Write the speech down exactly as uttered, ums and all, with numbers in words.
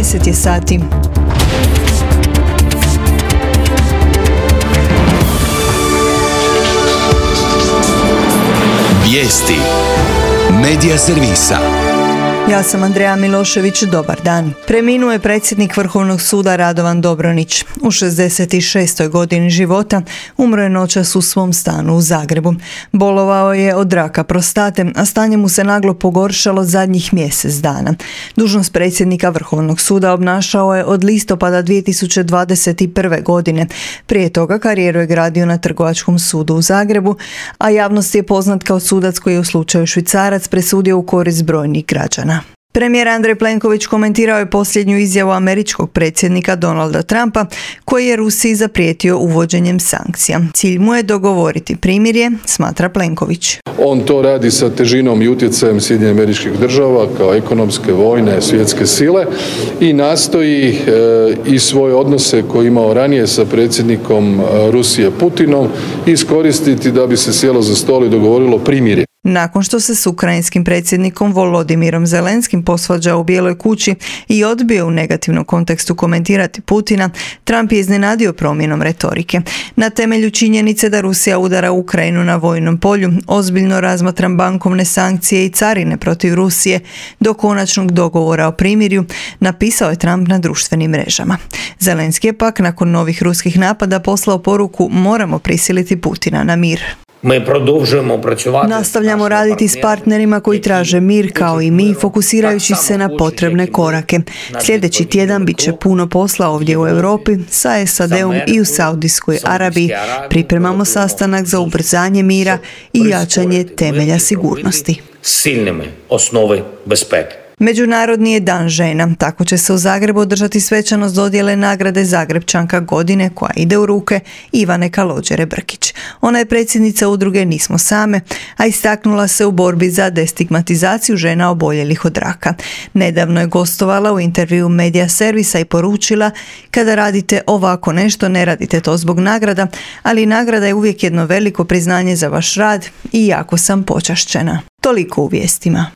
deset je sati. Vijesti Medija servisa. Ja sam Andreja Milošević, dobar dan. Preminuo je predsjednik Vrhovnog suda Radovan Dobronić. U šezdeset šestoj godini života umro je noćas u svom stanu u Zagrebu. Bolovao je od raka prostate, a stanje mu se naglo pogoršalo zadnjih mjesec dana. Dužnost predsjednika Vrhovnog suda obnašao je od listopada dvije tisuće dvadeset prve. godine. Prije toga karijeru je gradio na Trgovačkom sudu u Zagrebu, a javnost je poznat kao sudac koji je u slučaju Švicarac presudio u korist brojnih građana. Premijer Andrej Plenković komentirao je posljednju izjavu američkog predsjednika Donalda Trumpa koji je Rusiji zaprijetio uvođenjem sankcija. Cilj mu je dogovoriti primirje, smatra Plenković. On to radi sa težinom i utjecajem Sjedinjenih Američkih Država kao ekonomske, vojne, svjetske sile i nastoji e, i svoje odnose koje je imao ranije sa predsjednikom Rusije Putinom iskoristiti da bi se sjelo za stol i dogovorilo primirje. Nakon što se s ukrajinskim predsjednikom Volodimirom Zelenskim posvađao u Bijeloj kući i odbio u negativnom kontekstu komentirati Putina, Trump je iznenadio promjenom retorike. Na temelju činjenice da Rusija udara Ukrajinu na vojnom polju, ozbiljno razmatram bankovne sankcije i carine protiv Rusije do konačnog dogovora o primirju, napisao je Trump na društvenim mrežama. Zelenski je pak nakon novih ruskih napada poslao poruku: moramo prisiliti Putina na mir. Mi продовжуємо працювати. Nastavljamo raditi s partnerima koji traže mir kao i mi, fokusirajući se na potrebne korake. Sljedeći tjedan bit će puno posla ovdje u Europi, sa S A D-om i u Saudijskoj Arabiji. Pripremamo sastanak za ubrzanje mira i jačanje temelja sigurnosti. Silnimi osnovi bezpeke. Međunarodni je dan žena, tako će se u Zagrebu održati svečanost dodjele nagrade Zagrepčanka godine koja ide u ruke Ivane Kalođere Brkić. Ona je predsjednica udruge Nismo same, a istaknula se u borbi za destigmatizaciju žena oboljelih od raka. Nedavno je gostovala u intervju Medija servisa i poručila: kada radite ovako nešto, ne radite to zbog nagrada, ali nagrada je uvijek jedno veliko priznanje za vaš rad i jako sam počašćena. Toliko u vijestima.